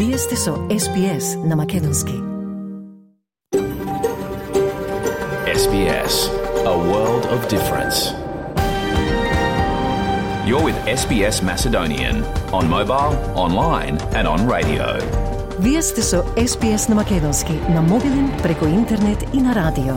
Вие сте со SBS на Македонски. SBS, a world of difference. You're with SBS Macedonian on mobile, online and on radio. Вие сте со SBS на Македонски на мобилен, преку интернет и на радио.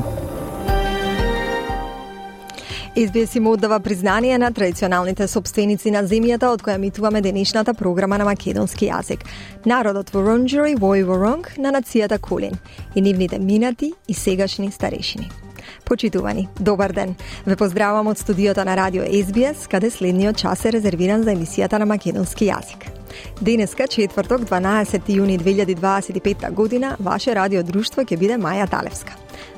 SBS им оддава признание на традиционалните собственици на земјата од која емитуваме денешната програма на македонски јазик. Народот Воронџери во Воронг на нацијата Кулин и нивните минати и сегашни старешини. Почитувани, добар ден. Ве поздравувам од студиото на радио SBS, каде следниот час е резервиран за емисијата на македонски јазик. Денеска, четврток, 12 јуни 2025 година, ваше радиодружство ќе биде Маја Талевска.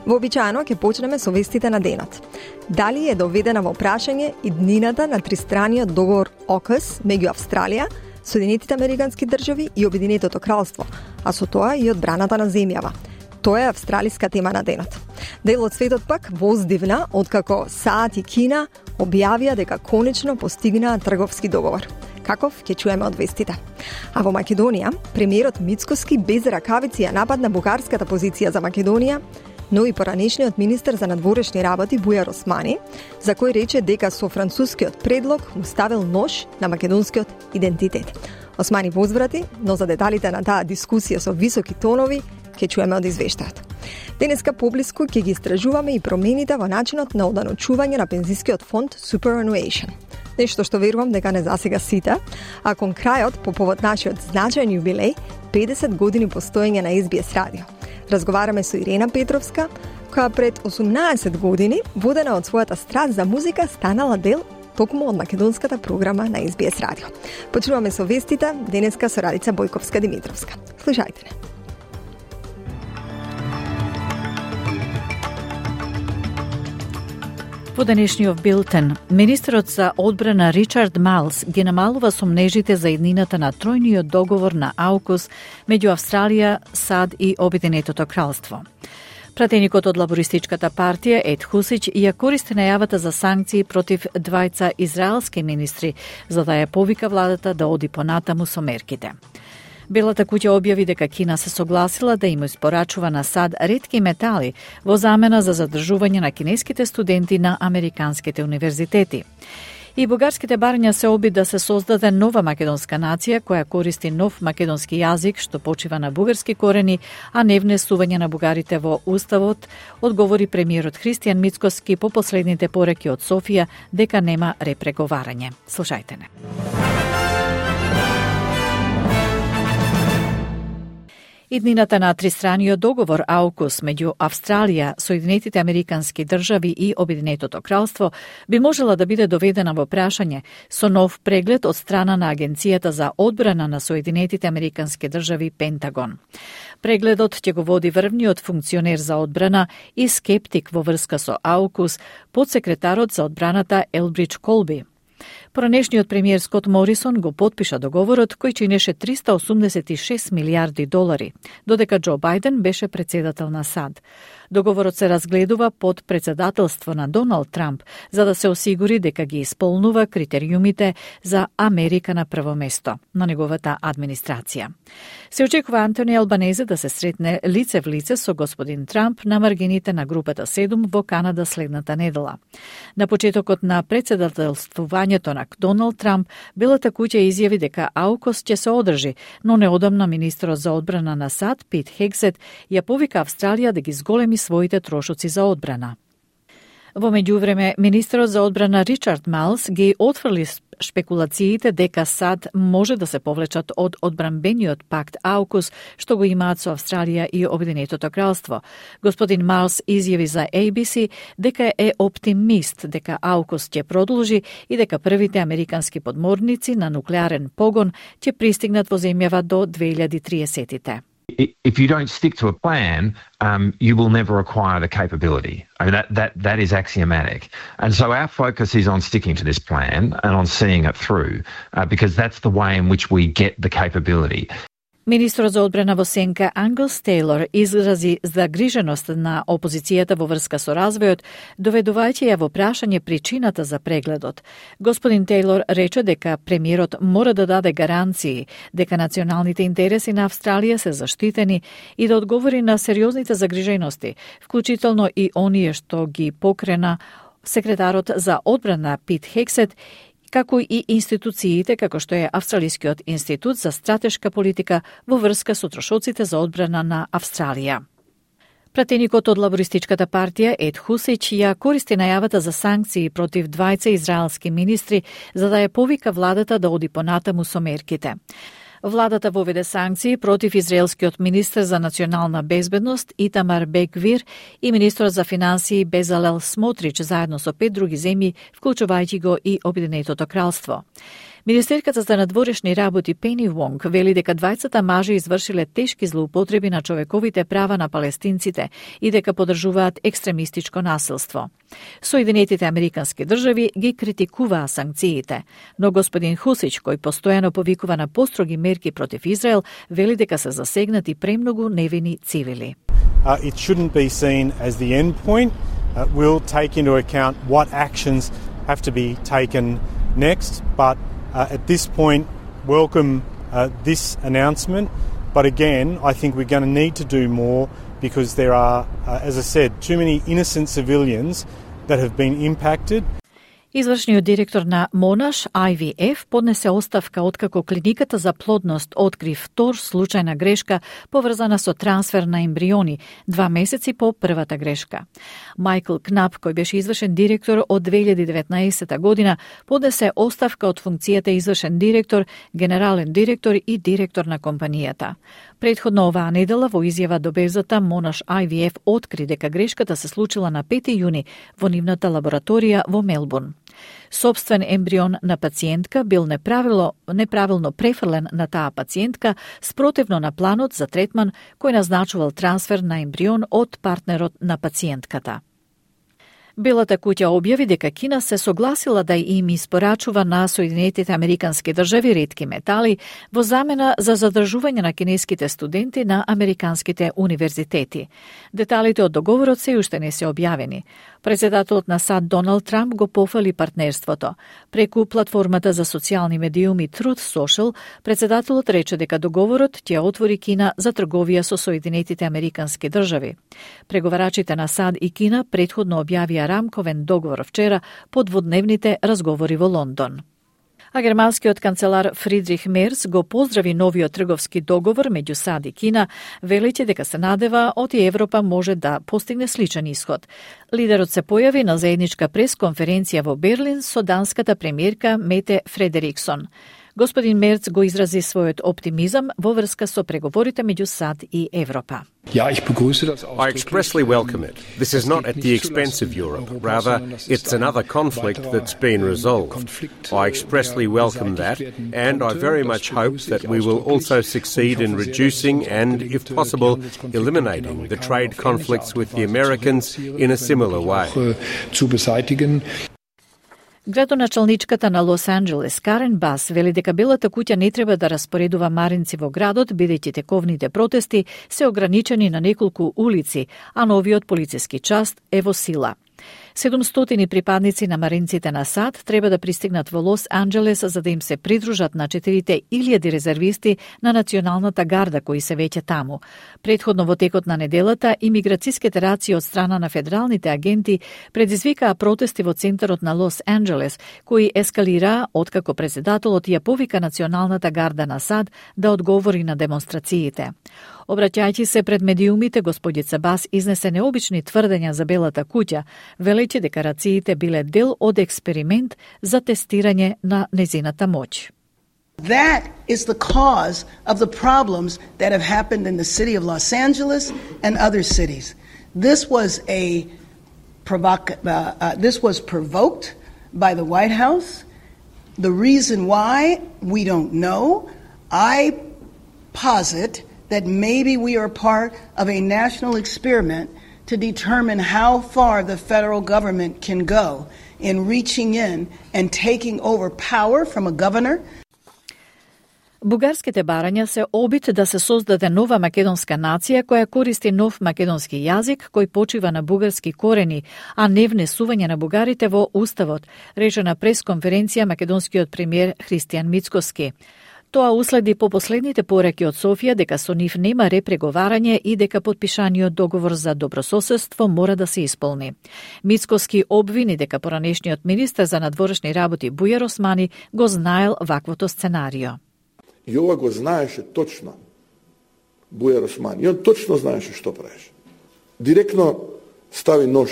Вообичаено ќе почнеме со вестите на денот. Дали е доведена во прашање иднината на тристраниот договор ОКС меѓу Австралија, Соединетите Американски држави и Обединетото кралство, а со тоа и одбраната на земјава. Тоа е австралиска тема на денот. Дел од светот пак воздивна, откако САД и Кина објавија дека конечно постигнаа трговски договор. Каков ќе чуеме од вестите. А во Македонија, премиерот Мицкоски без ракавици ја нападна бугарската позиција за Македонија, но и поранешниот министер за надворешни работи Бујар Османи, за кој рече дека со францускиот предлог му ставил нож на македонскиот идентитет. Османи возврати, но за деталите на таа дискусија со високи тонови ќе чуеме од извештајот. Денеска поблиску ќе ги истражуваме и промените во начинот на оданочување на пензискиот фонд Superannuation. Нешто што верувам дека не засега сите, а кон крајот по повод нашиот значајен јубилеј 50 години постоење на SBS радио. Разговараме со Ирена Петровска, која пред 18 години, водена од својата страст за музика, станала дел токму од македонската програма на SBS радио. Почнуваме со вестите, денеска со Радица Бојковска-Димитровска. Слушајте не. Во денешниот билтен, министерот за одбрана Ричард Майлс ги намалува сомнежите за иднината на тројниот договор на AUKUS меѓу Австралија, САД и Обединетото кралство. Пратеникот од лабористичката партија Ед Хусич ја користи најавата за санкции против двајца израелски министри, за да ја повика владата да оди понатаму со мерките. Белата куќа објави дека Кина се согласила да им испорачува на САД ретки метали во замена за задржување на кинеските студенти на американските универзитети. И бугарските барања се оби да се создаде нова македонска нација која користи нов македонски јазик што почива на бугарски корени, а не внесување на бугарите во уставот, одговори премиерот Христијан Мицкоски по последните пореки од Софија дека нема репреговарање. Слушајте не. Иднината на тристраниот договор AUKUS меѓу Австралија, Соединетите Американски држави и Обединетото кралство би можела да биде доведена во прашање со нов преглед од страна на Агенцијата за одбрана на Соединетите Американски држави Пентагон. Прегледот ќе го води врвниот функционер за одбрана и скептик во врска со AUKUS, подсекретарот за одбраната Елбридж Колби. Поранешниот премиер Скот Морисон го потпиша договорот кој чинеше $386 милиарди, додека Џо Бајден беше председател на САД. Договорот се разгледува под председателство на Доналд Трамп, за да се осигури дека ги исполнува критериумите за Америка на прво место на неговата администрација. Се очекува Антони Албанезе да се сретне лице в лице со господин Трамп на маргините на групата 7 во Канада следната недела. На почетокот на председателствувањето на Доналд Трамп, Белата куќа изјави дека AUKUS ќе се одржи, но неодамна министерот за одбрана на САД Пит Хексет ја повика Австралија да ги зголеми своите трошоци за одбрана. Во меѓувреме, министерот за одбрана Ричард Майлс ги отфрли шпекулациите дека САД може да се повлечат од одбранбениот пакт AUKUS што го имаат со Австралија и Обединетото кралство. Господин Майлс изјави за ABC дека е оптимист дека AUKUS ќе продолжи и дека првите американски подморници на нуклеарен погон ќе пристигнат во земјава до 2030-тите. If you don't stick to a plan, you will never acquire the capability. I mean, that is axiomatic. And so our focus is on sticking to this plan and on seeing it through, because that's the way in which we get the capability. Министрот за одбрана во Сенка Ангус Тейлор изрази загриженост на опозицијата во врска со развојот, доведувајќи ја во прашање причината за прегледот. Господин Тейлор рече дека премиерот мора да даде гаранции дека националните интереси на Австралија се заштитени и да одговори на сериозните загрижености, вклучително и оние што ги покрена секретарот за одбрана Пит Хексет, како и институциите како што е Австралискиот институт за стратешка политика во врска со трошоците за одбрана на Австралија. Пратеникот од лабористичката партија Ед Хусич ја користи најавата за санкции против двајца израелски министри за да ја повика владата да оди понатаму со мерките. Владата воведе санкции против израелскиот министер за национална безбедност Итамар Бен-Гвир и министрот за финансии Безалел Смотрич заедно со 5 други земји, вклучувајќи го и Обединетото кралство. Министерката за надворешни работи Пени Вонг вели дека двајцата мажи извршиле тешки злоупотреби на човековите права на палестинците и дека поддржуваат екстремистичко насилство. Соединетите американски држави ги критикуваа санкциите, но господин Хусич, кој постојано повикува на построги мерки против Израел, вели дека се засегнати премногу невини цивили. It shouldn't be seen as the end point. We'll take into account what actions have to be taken next, but at this point, welcome this announcement. But again, I think we're going to need to do more because there are, as I said, too many innocent civilians that have been impacted. Извршниот директор на Monash IVF поднесе оставка откако клиниката за плодност откри втор случај на грешка поврзана со трансфер на ембриони 2 месеци по првата грешка. Майкл Кнап, кој беше извршен директор од 2019 година, поднесе оставка од функцијата извршен директор, генерален директор и директор на компанијата. Претходно оваа недела во изјава до Безата Monash IVF откри дека грешката се случила на 5 јуни во нивната лабораторија во Мелбурн. Собствен ембрион на пациентка бил неправилно префрлен на таа пациентка спротивно на планот за третман кој назначувал трансфер на ембрион од партнерот на пациентката. Белата куќа објави дека Кина се согласила да им испорачува на Соединетите американски држави ретки метали во замена за задржување на кинеските студенти на американските универзитети. Деталите од договорот се уште не се објавени. Председателот на САД Доналд Трамп го пофали партнерството. Преку платформата за социјални медиуми Truth Social, председателот рече дека договорот ќе отвори Кина за трговија со Соединетите американски држави. Преговарачите на САД и Кина претходно објавија рамковен договор вчера по дводневните разговори во Лондон. А германскиот канцелар Фридрих Мерц го поздрави новиот трговски договор меѓу САД и Кина, велејќи дека се надева оти Европа може да постигне сличен исход. Лидерот се појави на заедничка пресконференција во Берлин со данската премиерка Мете Фредериксон. Господин Мерц го изрази својот оптимизам во врска со преговорите меѓу САД и Европа. I expressly welcome it. This is not at the expense of Europe. Rather, it's another conflict that's been resolved. I expressly welcome that, and I very much hope that we will also succeed in reducing and, if possible, eliminating the trade conflicts with the Americans in a similar way. Градоначалничката на Лос Анџелес Карен Бас вели дека Белата куќа не треба да распоредува маринци во градот, бидејќи тековните протести се ограничени на неколку улици, а новиот полициски час е во сила. 700 припадници на маринците на САД треба да пристигнат во Лос Анџелес за да им се придружат на 4.000 резервисти на Националната гарда кои се веќе таму. Претходно во текот на неделата, имиграциските раци од страна на федералните агенти предизвикаа протести во центарот на Лос Анџелес, кои ескалираа откако председателот ја повика Националната гарда на САД да одговори на демонстрациите. Обраќајќи се пред медиумите, господица Бас изнесе необични тврдења за Белата куќа, велејќи дека рациите биле дел од експеримент за тестирање на незината моќ. That is the cause of the problems that have happened in the city of Los Angeles and other cities. This was provoked by the White House. The reason why, we don't know. I posit that maybe we are part of a national experiment to determine how far the federal government can go in reaching in and taking over power from a governor. Бугарските барања се обид да се создаде нова македонска нација која користи нов македонски јазик кој почива на бугарски корени, а не внесување на бугарите во уставот, рече на пресконференција македонскиот премиер Христијан Мицкоски. Тоа уследи по последните пораки од Софија дека со нив нема репреговарање и дека подпишаниот договор за добрососедство мора да се исполни. Мицкоски обвини дека поранешниот министер за надворешни работи Бујар Османи го знаел ваквото сценарио. И ова го знаеше точно Бујар Османи. И он точно знаеше што правеше. Директно стави нож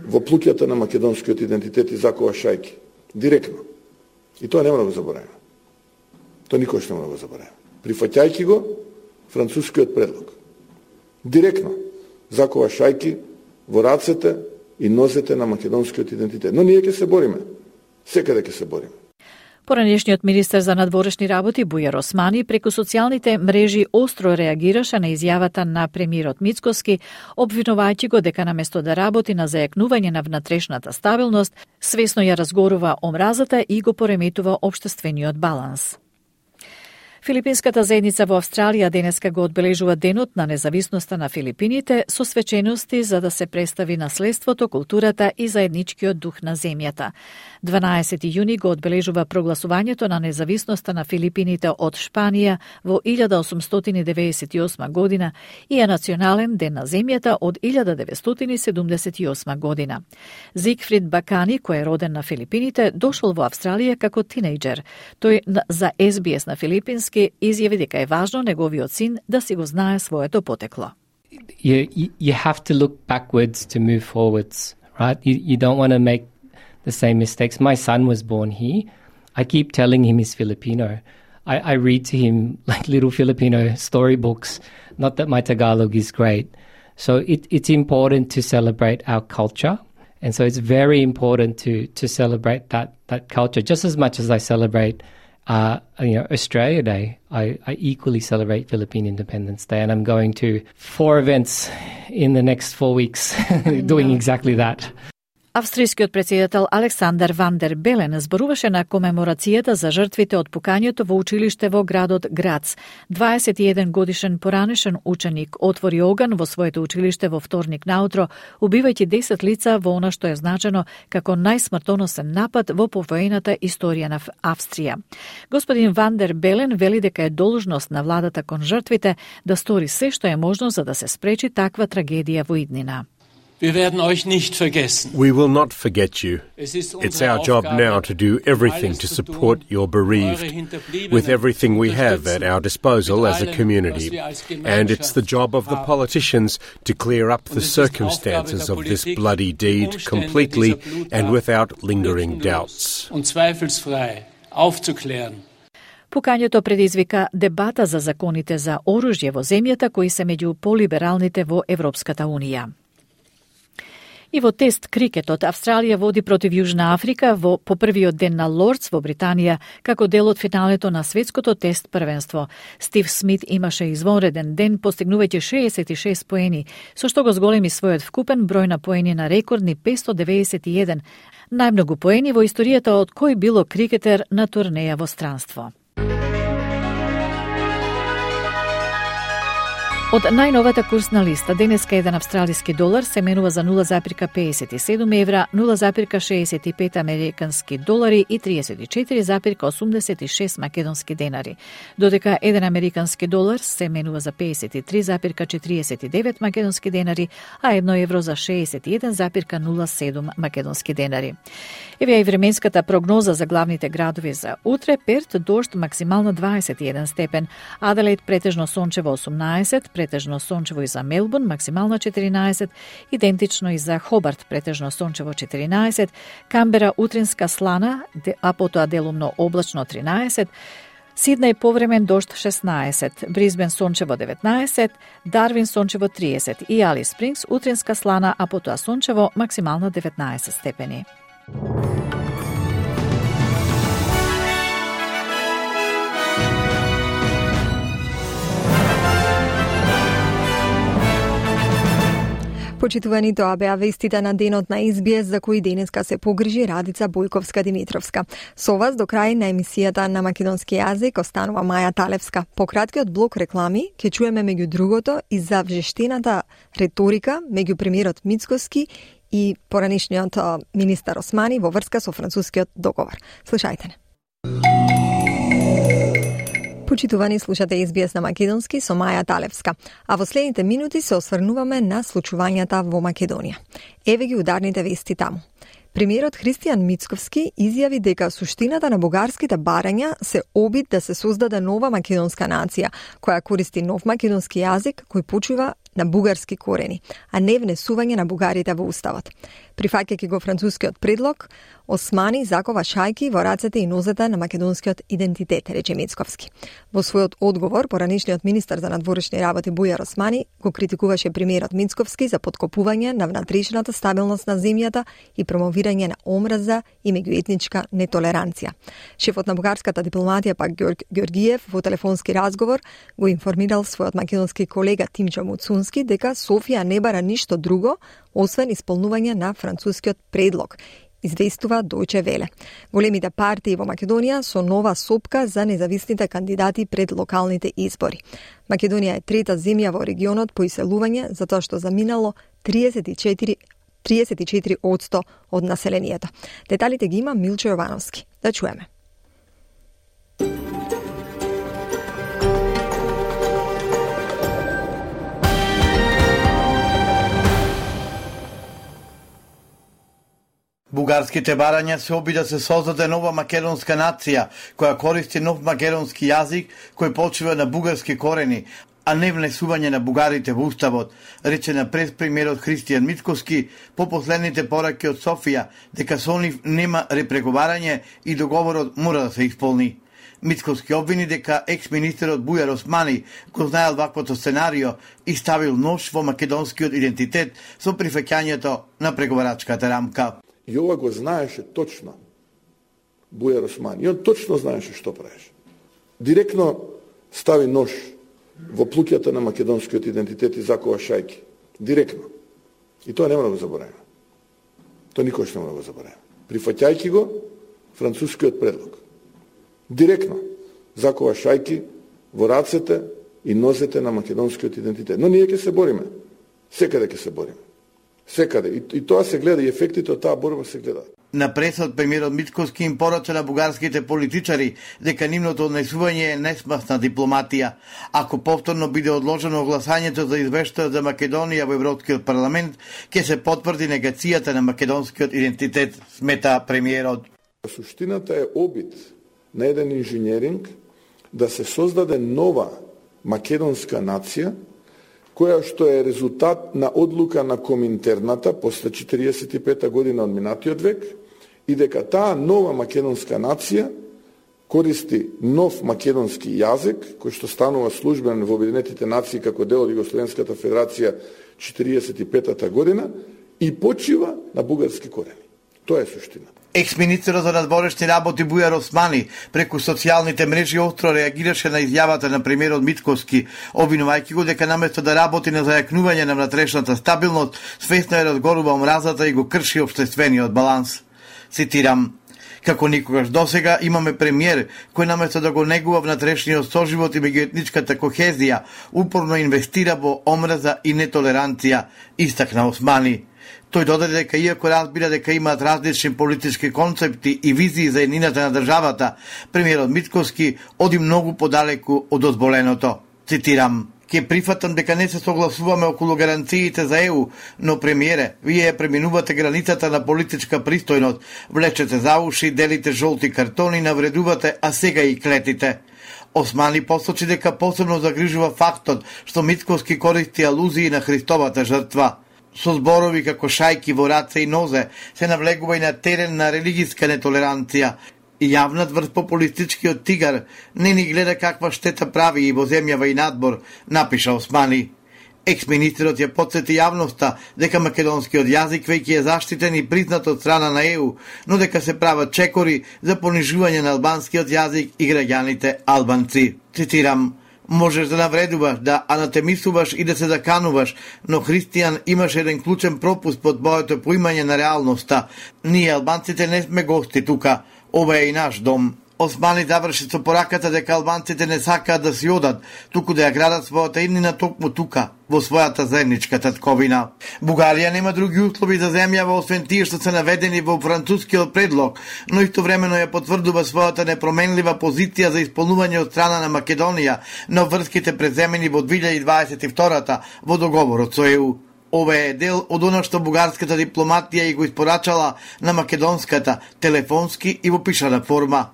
во плуќата на македонскиот идентитет и закова шајки. Директно. И тоа не мора да го забораваме. Тоа никош не мора да го забораваме. Прифаќајќи го францускиот предлог. Директно закова шајки во рацете и нозете на македонскиот идентитет. Но ние ќе се бориме. Секаде ќе се бориме. Поранешниот министер за надворешни работи Бујар Османи преку социјалните мрежи остро реагираше на изјавата на премиерот Мицкоски, обвинувајќи го дека наместо да работи на зајакнување на внатрешната стабилност, свесно ја разгорува омразата и го пореметува општествениот баланс. Филипинската заедница во Австралија денеска го одбележува Денот на независноста на Филипините со свечености за да се представи наследството, културата и заедничкиот дух на земјата. 12 јуни го одбележува прогласувањето на независноста на Филипините од Шпанија во 1898 година и е национален ден на земјата од 1978 година. Зигфрид Бакани, кој е роден на Филипините, дошол во Австралија како тинејџер. Тој за SBS на филипински изјави дека е важно неговиот син да си го знае своето потекло. You have to look backwards to move forwards, right? You don't want to make the same mistakes. My son was born here. I keep telling him he's Filipino. I read to him like little Filipino storybooks. Not that my Tagalog is great. So it's important to celebrate our culture. And so it's very important to celebrate that culture just as much as I celebrate Australia Day. I equally celebrate Philippine Independence Day, and I'm going to 4 events in the next 4 weeks doing exactly that. Австрискиот председател Александар Ван дер Белен зборуваше на комеморацијата за жртвите од пукањето во училиште во градот Грац. 21 годишен поранешен ученик отвори оган во своето училиште во вторник наутро, убивајќи 10 лица во она што е значено како најсмртоносен напад во повоената историја на Австрија. Господин Ван дер Белен вели дека е должност на владата кон жртвите да стори се што е можно за да се спречи таква трагедија во иднина. Wir werden euch nicht vergessen. We will not forget you. It's our job now to do everything to support your bereaved with everything we have at our disposal as a community. And it's the job of the politicians to clear up the circumstances of this bloody deed completely and without lingering doubts. Und zweifelsfrei aufzuklären. Пукањето предизвика дебата за законите за оружје во земјата кои се меѓу полибералните во Европската Унија. И во тест крикетот, Австралија води против Јужна Африка по првиот ден на Лордс во Британија, како дел од финалето на светското тест првенство. Стив Смит имаше извонреден ден, постигнувајќи 66 поени, со што го зголеми својот вкупен број на поени на рекордни 591, најмногу поени во историјата од кој било крикетер на турнеја во странство. Од најновата курсна листа, денеска еден австралиски долар се менува за 0,57 евра, 0,65 американски долари и 34,86 македонски денари, додека еден американски долар се менува за 53,49 македонски денари, а 1 евро за 61,07 македонски денари. Еве и временската прогноза за главните градови за утре: Перт дожд максимално 21 степен, Аделаид претежно сончево 18, претежно сончево и за Мелбурн, максимално 14, идентично и за Хобарт, претежно сончево 14, Камбера утринска слана, а потоа делумно облачно 13, Сиднеј повремен дожд 16, Брисбен сончево 19, Дарвин сончево 30 и Алис Спрингс утринска слана, а потоа сончево максимално 19 степени. Почитувани, тоа беа вестите на денот на SBS, за кои денеска се погрижи Радица Бојковска-Димитровска. Со вас до крај на емисијата на македонски јазик останува Маја Талевска. По краткиот блок реклами ќе чуеме меѓу другото и за вжештената реторика меѓу премиерот Мицкоски и поранишниот министар Османи во врска со францускиот договор. Слушајте не. Почитувани, слушате SBS на македонски со Маја Талевска, а во следните минути се осврнуваме на случувањата во Македонија. Еве ги ударните вести таму. Премиерот Христијан Мицковски изјави дека суштината на бугарските барања се обид да се создаде нова македонска нација, која користи нов македонски јазик кој почива на бугарски корени, а не внесување на бугарите во уставот. Прифаќајќи го францускиот предлог, Османи закова шајки во рацете и нозете на македонскиот идентитет, рече Мицковски. Во својот одговор, поранишниот министар за надворешни работи Бујар Османи го критикуваше премиерот Мицковски за поткопување на внатрешната стабилност на земјата и промовирање на омраза и меѓуетничка нетолеранција. Шефот на бугарската дипломатија пак Георгиев во телефонски разговор го информирал својот македонски колега Тимчо Муцунски дека Софија не бара ништо друго освен исполнување на францускиот предлог, известува Дојче Веле. Големите партии во Македонија со нова сопка за независните кандидати пред локалните избори. Македонија е трета земја во регионот по иселување, затоа што заминало 34% од населението. Деталите ги има Милчо Јовановски. Да чуеме. Бугарските барања се оби да се создаде нова македонска нација, која користи нов македонски јазик кој почива на бугарски корени, а не внесување на бугарите во уставот, рече на прес-премиерот Христијан Мицкоски по последните пораки од Софија дека со нив нема репреговарање и договорот мора да се исполни. Мицкоски обвини дека екс-министерот Бујар Османи го знаел ваквото сценарио и ставил нож во македонскиот идентитет со прифаќањето на преговарачката рамка. И ова го знаеше точно Бујар Османи. И он точно знаеше што правеше. Директно стави нож во плуќата на македонскиот идентитет и закова шајки. Директно. И тоа нема да го забораваме. Тоа никош нема да го забораваме. Прифаќајќи го францускиот предлог. Директно закова шајки во рацете и нозете на македонскиот идентитет. Но ние ќе се бориме. Секаде ќе се бориме. Секаде. И тоа се гледа, и ефектите од таа борба се гледаат. На пресот премиерот Мицкоски им порача на бугарските политичари дека нивното однесување е несмасна дипломатија. Ако повторно биде одложено гласањето за извештајот за Македонија во Европскиот парламент, ќе се потврди негацијата на македонскиот идентитет, смета премиерот. Суштината е обид на еден инженеринг да се создаде нова македонска нација, која што е резултат на одлука на Коминтерната после 45 година од минатиот век и дека таа нова македонска нација користи нов македонски јазик, кој што станува службен во Обединетите нации како дел од Југословенската федерација 45 година и почива на бугарски корени. Тоа е суштината. Екс-министерот за надворешни работи Бујар Османи преку социјалните мрежи остро реагираше на изјавата на премиерот Мицкоски, обвинувајќи го дека наместо да работи на зајакнување на внатрешната стабилност, свесно е разгорува омразата и го крши општествениот баланс. Цитирам: како никогаш досега имаме премиер кој наместо да го негува внатрешниот соживот и меѓуетничката кохезија, упорно инвестира во омраза и нетолеранција, истакна Османи. Тој додаде дека иако разбира дека имаат различни политички концепти и визии за еднината на државата, премиерот Мицкоски оди многу подалеку од дозволеното. Цитирам: ќе прифатам дека не се согласуваме околу гаранциите за ЕУ, но премиере, вие преминувате границата на политичка пристојност, влечете за уши, делите жолти картони, навредувате, а сега и клетите. Османи посочи дека посебно загрижува фактот што Мицкоски користи алузии на Христовата жртва. Со зборови како шајки во раце и нозе се навлегува и на терен на религиска нетолеранција. И јавнат врз популистичкиот тигар не ни гледа каква штета прави и во земјава и надбор, напиша Османи. Екс-министерот ја потсети јавноста дека македонскиот јазик веќе е заштитен и признат од страна на ЕУ, но дека се прават чекори за понижување на албанскиот јазик и граѓаните албанци. Цитирам: Можеш да навредуваш, да анатемисуваш и да се закануваш, но христијан имаш еден клучен пропуст под моето поимање на реалноста. Ние, албанците, не сме гости тука. Ова е и наш дом. Османи заврши со пораката дека албанците не сакаат да си одат, туку да ја градат својата иднина токму тука, во својата заедничка татковина. Бугарија нема други услови за земјава освен тие што се наведени во францускиот предлог, но истовремено ја потврдува својата непроменлива позиција за исполнување од страна на Македонија на врските преземени во 2022 во договорот со ЕУ. Ова е дел од оно што бугарската дипломатија и го испорачала на македонската, телефонски и во пишана форма.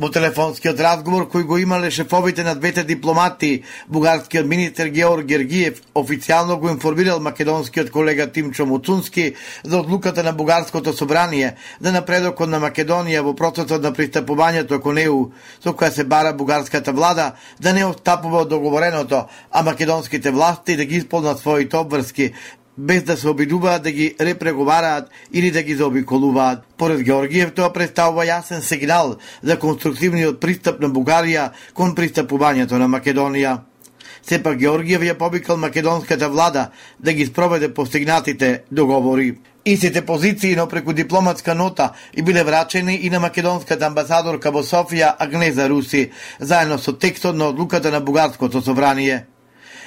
Во телефонскиот разговор кој го имале шефовите на двете дипломати, бугарскиот министер Георг Гергиев официјално го информирал македонскиот колега Тимчо Муцунски за одлуката на бугарското собрание за напредокот на Македонија во процесот на пристапувањето кон ЕУ, со која се бара бугарската влада да не отстапува од договореното, а македонските власти да ги исполнат своите обврски, без да се обидуваат да ги репреговараат или да ги заобиколуваат. Поред Георгиев тоа представува јасен сигнал за конструктивниот пристап на Бугарија кон пристапувањето на Македонија. Сепак Георгиев ја повикал македонската влада да ги спроведе постигнатите договори. Истите позиции, но преку дипломатска нота и биле врачени и на македонската амбасадорка во Софија Агнеза Руси, заедно со текстот на одлуката на бугарското собрание.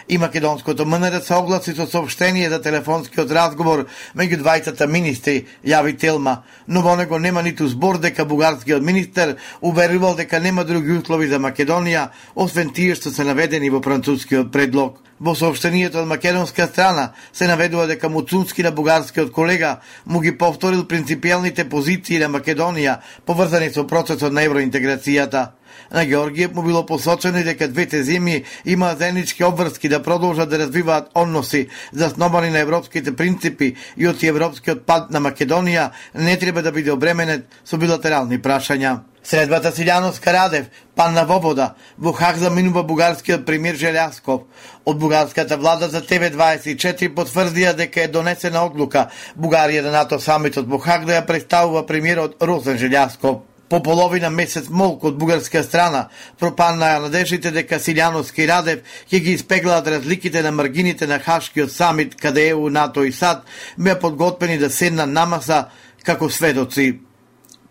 И македонското МНР се огласи со соопштение за телефонскиот разговор меѓу двајцата министри, јави Телма, но во него нема ниту збор дека бугарскиот министер уверувал дека нема други услови за Македонија, освен тие што се наведени во францускиот предлог. Во соопштението од македонска страна се наведува дека Муцунски на бугарскиот колега му ги повторил принципиелните позиции на Македонија поврзани со процесот на евроинтеграцијата. На Георгиев му било посочено дека двете земји имаат заеднички обврски да продолжат да развиваат односи засновани на европските принципи и од европскиот пат на Македонија не треба да биде обременет со билатерални прашања. Средбата Силјановска Радев, Панна Вобода, во Хаг заминува бугарскиот премиер Желјасков. Од бугарската влада за ТВ24 потврдија дека е донесена одлука Бугарија на НАТО самитот во Хаг да ја представува премиерот Росен Желјасков. По половина месец молк од бугарска страна пропаднаа надеждите дека Силјановски и Радев ќе ги испеглаат разликите на маргините на Хашкиот самит каде ЕУ, НАТО и САД беа подготвени да седнат на маса како сведоци.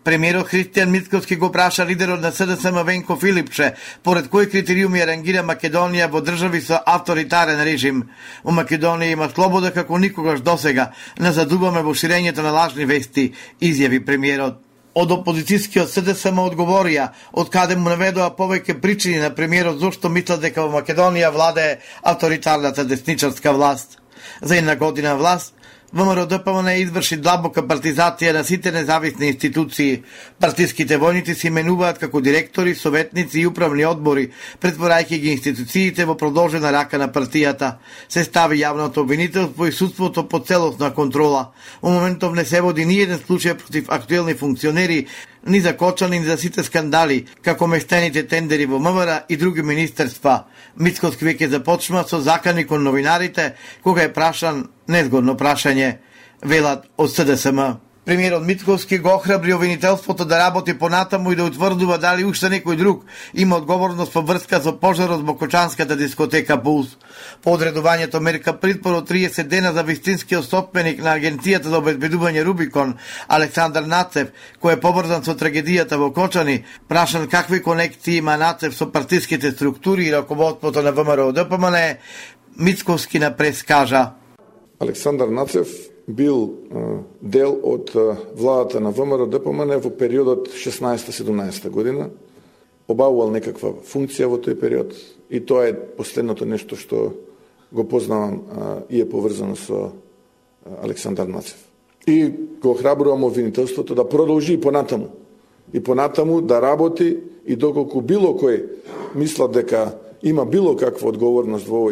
Премиерот Христијан Мицкоски го праша лидерот на СДСМ Венко Филипче, поред кои критериуми ја рангира Македонија во држави со авторитарен режим. Во Македонија има слобода како никогаш досега, назадуваме во ширењето на лажни вести, изјави премиерот. Од опозицијскиот СДСМ одговорија, од каде му наведоа повеќе причини на премиерот зошто мислат дека во Македонија владее авторитарната десничарска власт. За една година власт, ВМРО ДПМН изврши длабока партизација на сите независни институции. Партиските војници се именуваат како директори, советници и управни одбори, претворајќи ги институциите во продолжена рака на партијата. Се стави јавното обвинителство и судството по целосна контрола. Во моментов не се води ни еден случај против актуелни функционери, ни за Кочани, ни за сите скандали, како мештените тендери во МВР и други министерства. Мицкоски веќе започнува со закани кон новинарите, кога е прашан незгодно прашање, велат од СДСМ. Премиерот Мицкоски го охрабри обвинителството да работи понатаму и да утврдува дали уште некој друг има одговорност по врска со пожарот во кочанската дискотека Пулс. По одредувањето мерка притвор од 30 дена за вистинскиот собственик на Агенцијата за обезбедување Рубикон, Александар Нацев, кој е поврзан со трагедијата во Кочани, прашан какви конекции има Нацев со партиските структури и раководството на ВМРО ДПМН, Мицкоски на прес кажа: Александар Нацев бил дел од владата на ВМРО ДПМН во периодот 16-17 година, обавувал некаква функција во тој период и тоа е последното нешто што го познавам и е поврзано со Александар Нацев. И го охрабрувам обвинителството да продолжи и понатаму да работи и доколку било кој мислат дека има било каква одговорност во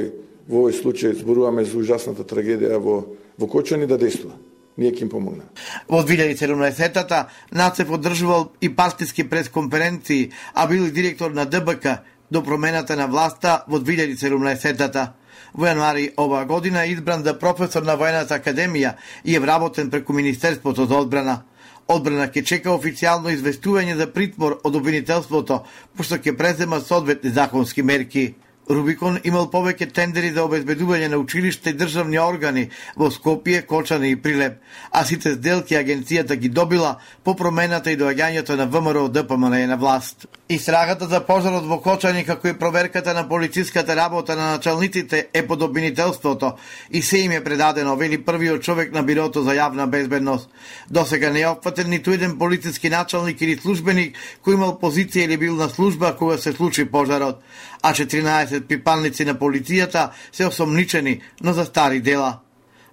овој случај, зборуваме за ужасната трагедија во Кочани, да действува. Ние ќе им помогнеме. Во 2017-та Нацев одржувал и партиски пресконференции, а бил и директор на ДБК до промената на власта во 2017-та. Во јануари оваа година е избран за професор на Војната академија и е вработен преку Министерството за одбрана. Одбрана ќе чека официјално известување за притвор од обвинителството, пошто ќе презема соодветни законски мерки. Рубикон имал повеќе тендери за обезбедување на училишта и државни органи во Скопје, Кочани и Прилеп, а сите сделки агенцијата ги добила по промената и доаѓањето на ВМРО ДПМН на власт. Истрагата за пожарот во Кочани, како и проверката на полициската работа на началниците е под обвинителството и се им е предадено, вели првиот човек на Бирото за јавна безбедност. Досега не е опфатен ниту еден полициски началник или службеник кој имал позиција или бил на служба кога се случи пожарот, а 14 припадници на полицијата се осомничени, но за стари дела.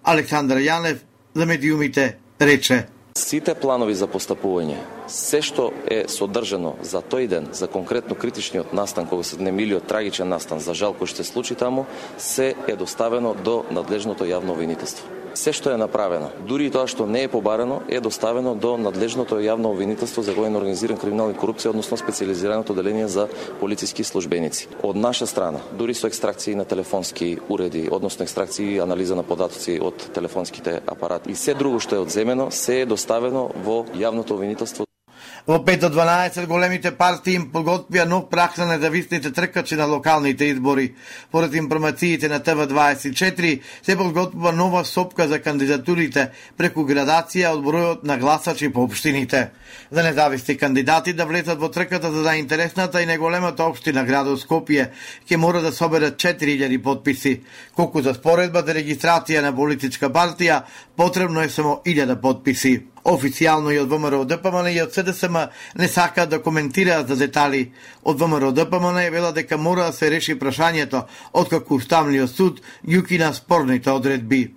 Александар Јанев за медиумите рече: Сите планови за постапување, се што е содржано за тој ден, за конкретно критичниот настан, кога се немилиот трагичен настан, за жал кој што се случи таму, се е доставено до надлежното јавно обвинителство. Се што е направено, дури и тоа што не е побарено, е доставено до надлежното јавно обвинителство за воено организиран криминал и корупција, односно специјализираното оделение за полициски службеници. Од наша страна, дури со екстракции на телефонски уреди, односно екстракции и анализа на податоци од телефонските апарати и се друго што е одземено, се е доставено во јавното обвинителство. Во 5 до 12 големите партии им подготвија нов праг на независните тркачи на локалните избори. Поред информациите на ТВ24 се подготвува нова сопка за кандидатурите преку градација од бројот на гласачи по општините. За независни кандидати да влезат во трката за заинтересната и неголемата општина градот Скопје ќе мора да соберат 4000 подписи. Колку за споредба за регистрација на политичка партија потребно е само 1000 подписи. Официјално и од ВМРО ДПМН и од СДСМ не сакаат да коментираат за детали. Од ВМРО ДПМН е вела дека мора да се реши прашањето откако Уставниот суд ги укина спорните одредби.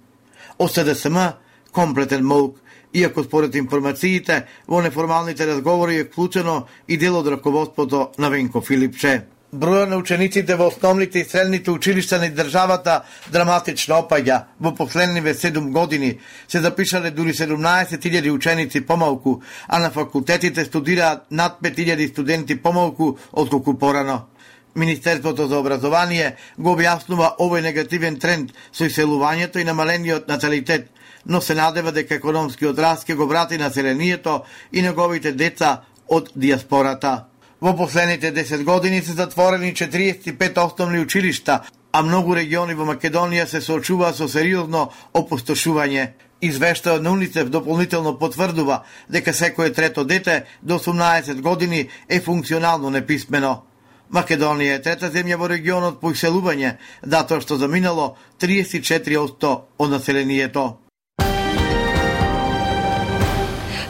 Од СДСМ комплетен молк, иако според информациите во неформалните разговори е вклучено и дел од раководството на Венко Филипче. Бројот на учениците во основните и средните училишта на државата драматично опаѓа. Во последниве 7 години се запишале дури 17.000 ученици помалку, а на факултетите студираат над 5.000 студенти помалку отколку порано. Министерството за образование го објаснува овој негативен тренд со иселувањето и намалениот наталитет, но се надева дека економскиот раст ќе го врати населението и неговите деца од диаспората. Во последните 10 години се затворени 45 основни училишта, а многу региони во Македонија се соочуваат со сериозно опустошување. Извештајот на УНИЦЕФ дополнително потврдува дека секое трето дете до 18 години е функционално неписмено. Македонија е трета земја во регионот по иселување, затоа што заминало 34% од населението.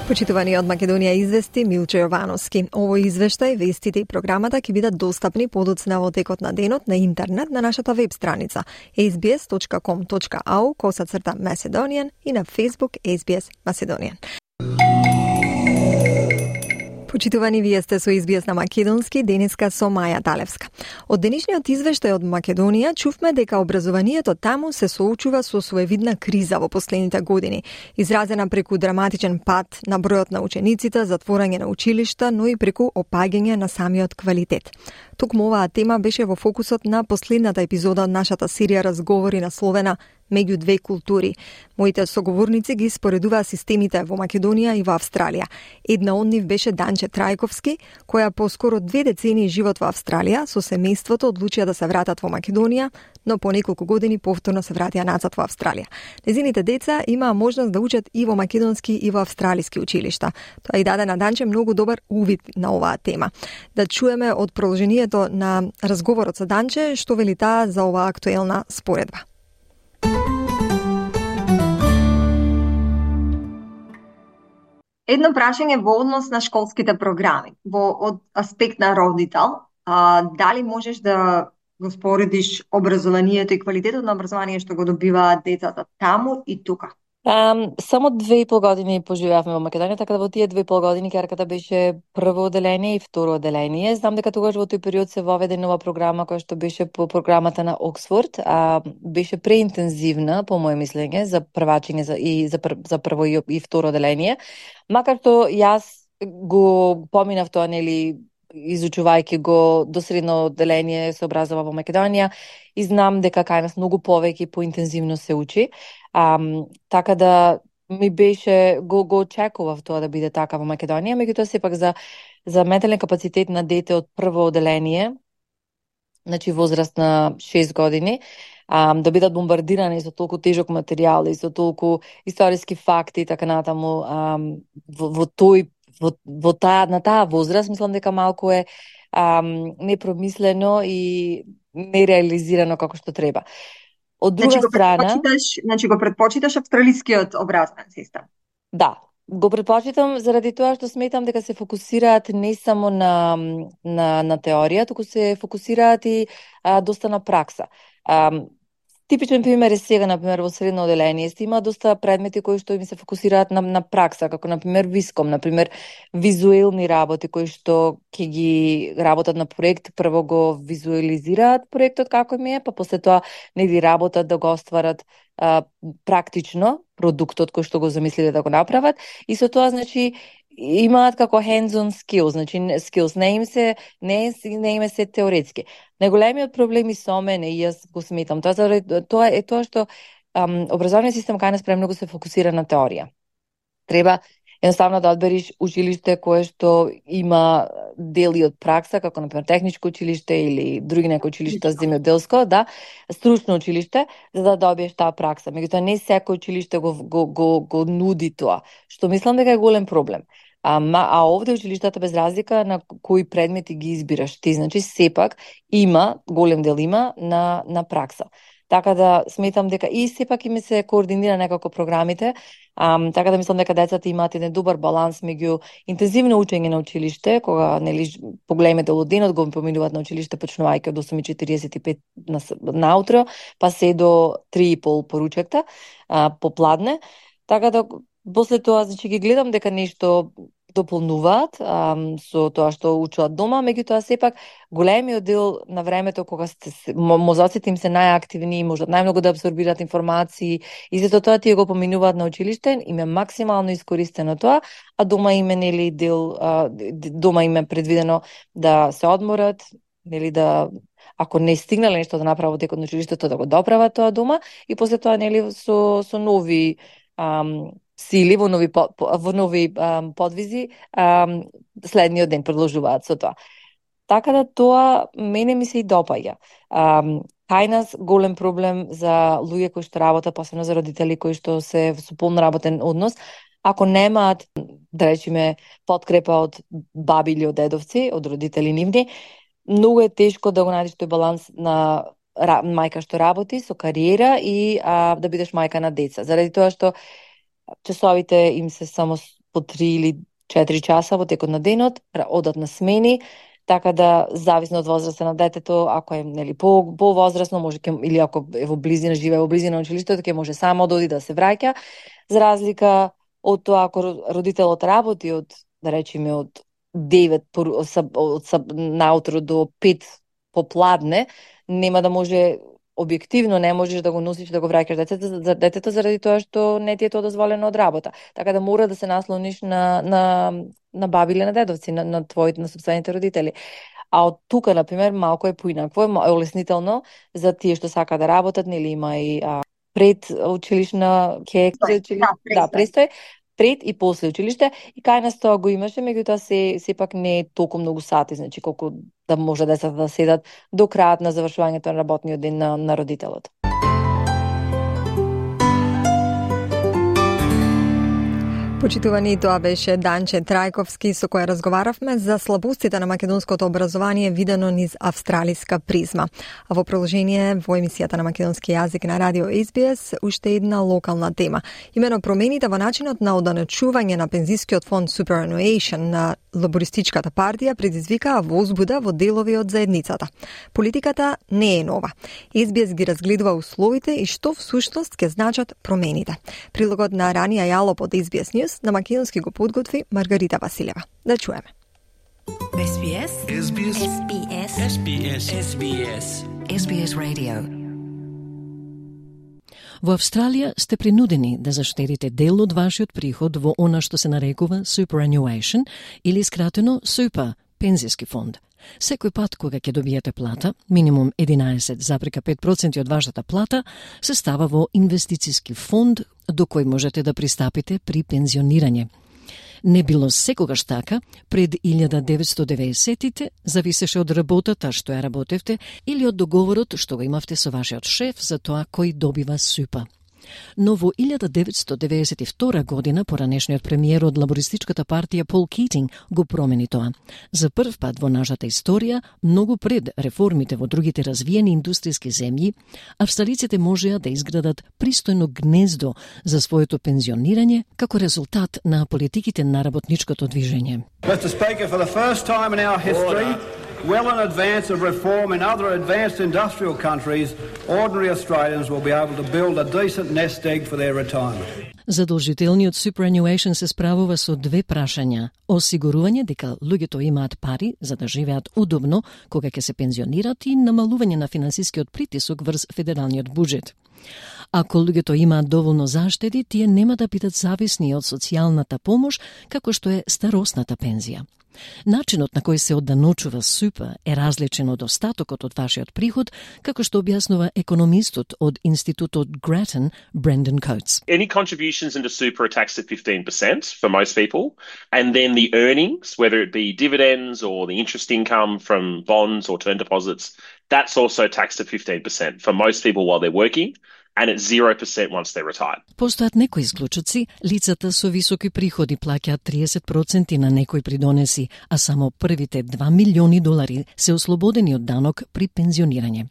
Почитувани од Македонија извести Милче Јовановски. Овој извештај, вестите и програмата ќе бидат достапни подоцна во текот на денот на интернет на нашата веб страница sbs.com.au/Macedonian и на Facebook SBS Macedonian. Почитувани, вие сте со SBS на Македонски, денеска со Маја Талевска. Од денешниот извештај од Македонија чувме дека образованието таму се соочува со своевидна криза во последните години, изразена преку драматичен пад на бројот на учениците, затворање на училишта, но и преку опаѓање на самиот квалитет. Токму оваа тема беше во фокусот на последната епизода од нашата серија разговори насловена меѓу две култури. Моите соговорници ги споредуваа системите во Македонија и во Австралија. Една од нив беше Данче Трајковски, која по скоро 2 децении живот во Австралија со семејството одлучија да се вратат во Македонија, но по неколку години повторно се вратија назад во Австралија. Незините деца имаа можност да учат и во македонски и во австралиски училишта. Тоа и даде на Данче многу добар увид на оваа тема. Да чуеме од продолжението на разговорот со Данче што вели таа за оваа актуелна споредба. Едно прашање во однос на школските програми, од аспект на родител, дали можеш да го споредиш образованието и квалитетот на образование што го добиваат децата таму и тука? Само 2,5 години поживеавме во Македонија, така да во тие 2,5 години керката беше прво оделение и второ оделение. Знам дека тогаш во тој период се воведе нова програма која што беше по програмата на Оксфорд, беше преинтензивна по моје мислење за првачење за прво и второ оделение, макар што јас го поминав тоа, нели, изучувајќи го до средно оделение се образова во Македонија и знам дека кај нас многу повеќе поинтензивно се учи. Така да ми беше, го очекував тоа да биде така во Македонија, меѓутоа сепак за ментален капацитет на дете од прво оделение значи возраст на 6 години, да бидат бомбардирани со толку тежок материјал и со толку историски факти и така натаму на таа возраст, мислам дека малку е непромислено и нереализирано како што треба. Од друга страна, го предпочиташ австралискиот образовен систем? Да, го предпочитам заради тоа што сметам дека се фокусираат не само на теорија, туку се фокусираат и доста на пракса. Типичен пример е сега, например, во средно оделение има доста предмети кои што им се фокусираат на пракса, како например виском, например визуелни работи кои што ќе ги работат на проект, прво го визуализираат проектот како ми е, па после тоа нели работат да го остварат практично продуктот кој што го замислиле да го направат и со тоа значи имаат како hands-on skills, значи skills не им се теоретски. Најголемиот проблем и со мене и јас го сметам тоа е тоа што образовниот систем кај нас премногу се фокусира на теорија. Треба едноставно да одбериш училиште кое што има дели од пракса, како например техничко училиште или други некои училишта земјоделско, да, стручно училиште, за да добиеш таа пракса. Меѓутоа не секој училиште го нуди тоа, што мислам дека е голем проблем. А овде училиштата без разлика на кои предмети ги избираш ти, значи сепак има, голем дел има на пракса. Така да сметам дека и сепак име се координира некако програмите, така да мислам дека децата имаат еден добар баланс меѓу интензивно учење на училиште, кога нели поголеме дел од денот го поминуваат на училиште почнувајќи од 8:45 наутро, па се до 3:30 поручекта попладне. Така да после тоа значи ги гледам дека нешто дополнуваат со тоа што учат дома, меѓутоа сепак големиот дел на времето кога мозоците им се најактивни и можат најмногу да апсорбираат информации и за тоа тие го поминуваат на училиште, им е максимално искористено тоа, а дома им е нели дома им е предвидено да се одморат, нели да ако не стигнале нешто да направат текот на училиштето да го доправат тоа дома и после тоа нели со нови сили во нови подвизи следниот ден продолжуваат со тоа. Така да тоа мене ми се и допаѓа. Кај нас голем проблем за луѓе кои што работат, посебно за родители кои што се со полно работен однос, ако немаат, да речеме, подкрепа од баби или од дедовци, од родители нивни, многу е тешко да го најдеш тој баланс на мајка што работи со кариера и да бидеш мајка на деца. Заради тоа што часовите им се само по 3 или 4 часа во текот на денот, одат на смени, така да зависно од возраста на детето, ако е нели по-возрасно, може или ако е во близина, живее во близина на училиштето, ќе може само да оди да се враќа, за разлика од тоа ако родителот работи од, да речеме, од 9 наутро до 5 попладне, нема да може објективно не можеш да го носиш да го враќаш детето заради тоа што не ти е тоа дозволено од работа. Така да мора да се наслониш на баби или на дедовци, на твоите, на сопствените родители. А од тука, например, малку е поинакво, е олеснително за тие што сака да работат, нели има и пред училишна престој, пред и после училиште, и кај нас тоа го имаше, меѓутоа сепак не е толку многу сати, значи колку да може децата да седат до крајот на завршувањето на работниот ден на родителот. Почитувани, тоа беше Данче Трајковски со која разговаравме за слабостите на македонското образование видено низ австралиска призма. А во продолжение во емисијата на македонски јазик на радио SBS уште една локална тема. Имено промените во начинот на оданачување на пензискиот фонд Superannuation на Лабористичката партија предизвикаа возбуда во делови од заедницата. Политиката не е нова. SBS ги разгледува условите и што всушност ќе значат промените. Прилогот на Рани Ајалоп од SBS News на македонски го подготви Маргарита Василева. Да чуеме. SBS SBS SBS SBS SBS SBS Radio. Во Австралија сте принудени да заштедите дел од вашиот приход во она што се нарекува superannuation или скратено Super, пензиски фонд. Секој пат кога ќе добиете плата, минимум 11,5% од вашата плата, се става во инвестициски фонд до кој можете да пристапите при пензионирање. Не било секогаш така, пред 1990-тите зависеше од работата што ја работевте или од договорот што го имавте со вашиот шеф за тоа кој добива супа. Но во 1992 година поранешниот премиер од лабористичката партија Пол Китинг го промени тоа. За прв пат во нашата историја, многу пред реформите во другите развиени индустријски земји, австралиците можеа да изградат пристојно гнездо за своето пензионирање како резултат на политиките на работничкото движење. Mr. Speaker, for the first time in our history, well in advance of reform in other advanced industrial countries, ordinary Australians will be able to build a decent nest egg for their retirement. Задолжителниот superannuation се справува со две прашања: осигурување дека луѓето имаат пари за да живеат удобно кога ќе се пензионират и намалување на финансискиот притисок врз федералниот буџет. Ако луѓето имаат доволно заштеди, тие нема да бидат зависни од социјалната помош како што е старосната пензија. Начинот на кој се одданочува супа е различен од остатокот од вашиот приход, како што објаснува економистот од Институтот Grattan, Brendan Coates. Any contributions into super are taxed at 15% for most people, and then the earnings, whether it be dividends or the interest income from bonds or term deposits, that's also taxed at 15% for most people while they're working, and it's 0% once they're retired. Постојат некои исклучоци, лицата со високи приходи плаќаат 30% на некои придонеси, а само првите $2 милиони се ослободени од данок при пензионирање.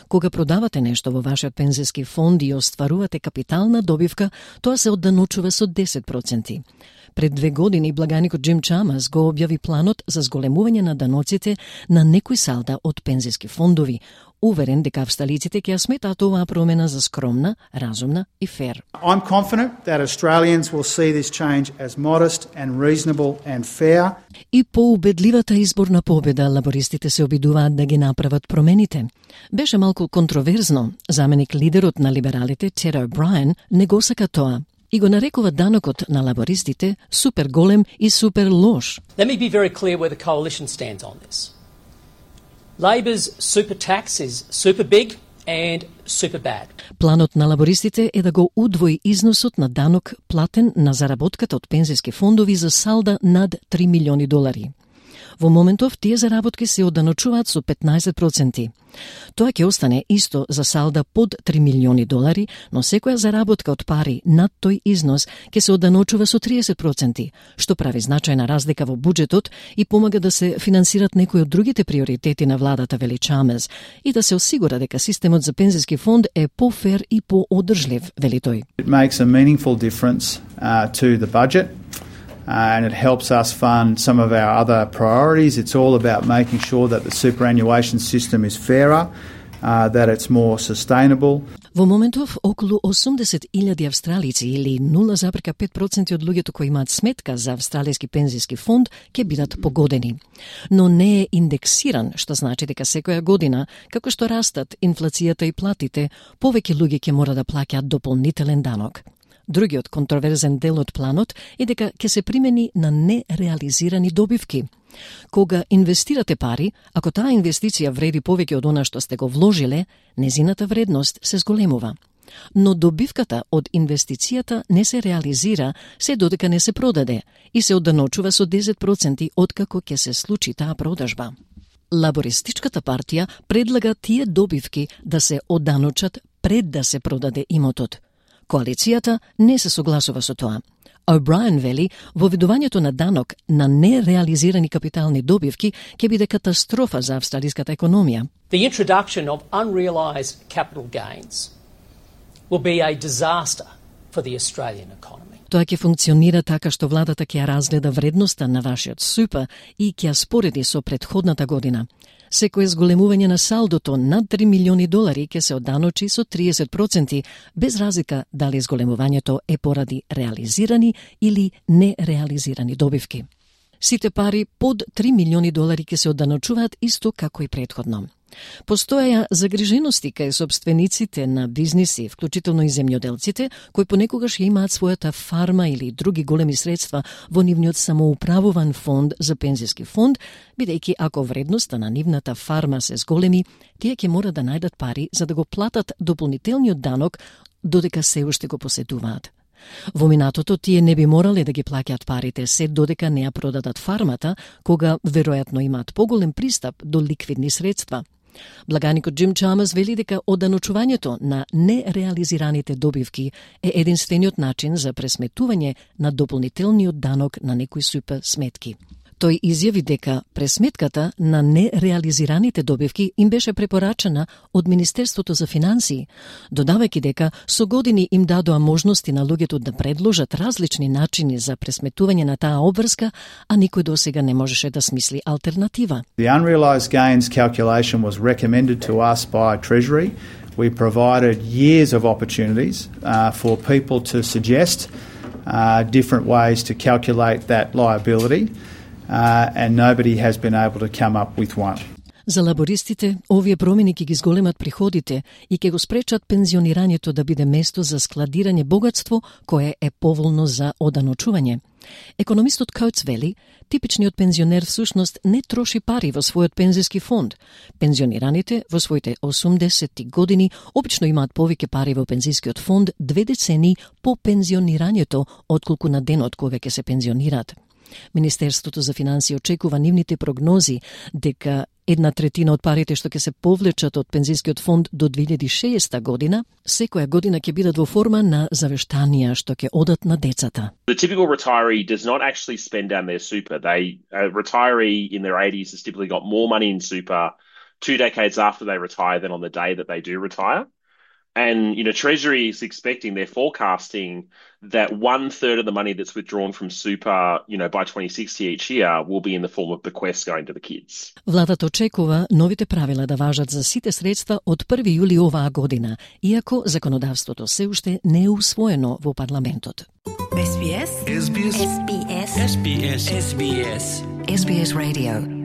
Кога продавате нешто во вашиот пензиски фонд и остварувате капитална добивка, тоа се одданочува со 10%. Пред 2 години благаникот Джим Чамас го објави планот за зголемување на даноците на некои салда од пензиски фондови, уверен дека австралиците ќе ја сметаат оваа промена за скромна, разумна и фер. I'm confident that Australians will see this change as modest and reasonable and fair. И по убедливата изборна победа лабористите се обидуваат да ги направат промените. Беше малку контроверзно. Заменик лидерот на либералите Тед О'Брајен не го сака тоа и го нарекува данокот на лабористите супер голем и супер лош. Let me be very clear where the coalition stands on this. Labor's super tax is super big and super bad. Планот на лабористите е да го удвои износот на данок платен на заработката од пензиски фондови за салда над $3 милиони. Во моментов тие заработки се одданочуваат со 15%. Тоа ќе остане исто за салда под $3 милиони, но секоја заработка од пари над тој износ ќе се одданочува со 30%, што прави значајна разлика во буџетот и помага да се финансират некои од другите приоритети на владата, вели Чамес, и да се осигура дека системот за пензиски фонд е пофер и поодржлив, вели тој. It makes a meaningful difference to the budget. And it helps us fund some of our other priorities. It's all about making sure that the superannuation system is fairer, that it's more sustainable. Во моментов, околу 80,000 австралици или 0,5% од луѓето кои имаат сметка за австралијски пензиски фонд ќе бидат погодени. Но не е индексиран, што значи дека секоја година, како што растат инфлацијата и платите, повеќе луѓе ќе мора да плаќаат дополнителен данок. Другиот контроверзен дел од планот е дека ќе се примени на нереализирани добивки. Кога инвестирате пари, ако таа инвестиција вреди повеќе од она што сте го вложиле, незината вредност се зголемува. Но добивката од инвестицијата не се реализира се додека не се продаде и се одданочува со 10% откако ќе се случи таа продажба. Лабористичката партија предлага тие добивки да се одданочат пред да се продаде имотот. Коалицијата не се согласува со тоа. О'Брајен вели, воведувањето на данок на нереализирани капитални добивки ќе биде катастрофа за австралиската економија. The introduction of unrealised capital gains will be a disaster for the Australian economy. Тоа ќе функционира така што владата ќе ја разгледа вредноста на вашиот супа и ќе ја спореди со претходната година. Секое зголемување на салдото над $3 милиони ќе се одданочи со 30%, без разлика дали зголемувањето е поради реализирани или нереализирани добивки. Сите пари под $3 милиони ќе се одданочуваат исто како и претходно. Постоеја загрижености кај собствениците на бизниси, вклучително и земјоделците, кои понекогаш ја имаат својата фарма или други големи средства во нивниот самоуправуван фонд за пензиски фонд, бидејќи ако вредноста на нивната фарма се зголеми, тие ќе мора да најдат пари за да го платат дополнителниот данок додека се уште го поседуваат. Во минатото тие не би морале да ги плаќаат парите се додека не ја продадат фармата, кога веројатно имаат поголем пристап до ликвидни средства. Благаникот Джим Чамас вели дека оданочувањето на нереализираните добивки е единствениот начин за пресметување на дополнителниот данок на некои супер сметки. Тој изјави дека пресметката на нереализираните добивки им беше препорачена од Министерството за финансии, додавајќи дека со години им дадоа можности на луѓето да предложат различни начини за пресметување на таа обврска, а никој досега не можеше да смисли алтернатива. The unrealised gains calculation was recommended to us by Treasury. We provided years of opportunities for people to suggest different ways to calculate that liability. And nobody has been able to come up with one. За лабористите, овие промени ќе ги зголемат приходите и ќе го спречат пензионирањето да биде место за складирање богатство кое е поволно за оданочување. Економистот Коутс вели, типичниот пензионер всушност не троши пари во својот пензиски фонд. Пензионираните во своите 80 години обично имаат повеќе пари во пензискиот фонд 2 децении по пензионирањето отколку на денот кога ќе се пензионираат. Министерството за финансии очекува нивните прогнози дека 1/3 од парите што ќе се повлечат од пензискиот фонд до 2060 година, секоја година ќе бидат во форма на завештанија што ќе одат на децата. The typical retiree does not actually spend down their super. A retiree in their 80s has typically got more money in super 2 decades after they retire than on the day that they do retire. And, Treasury is expecting, they're forecasting that 1/3 of the money that's withdrawn from super, by 2060 each year will be in the form of bequests going to the kids. Владата очекува новите правила да важат за сите средства од 1 јули оваа година, иако законодавството се уште не е усвоено во парламентот. SBS SBS SBS SBS SBS SBS Radio.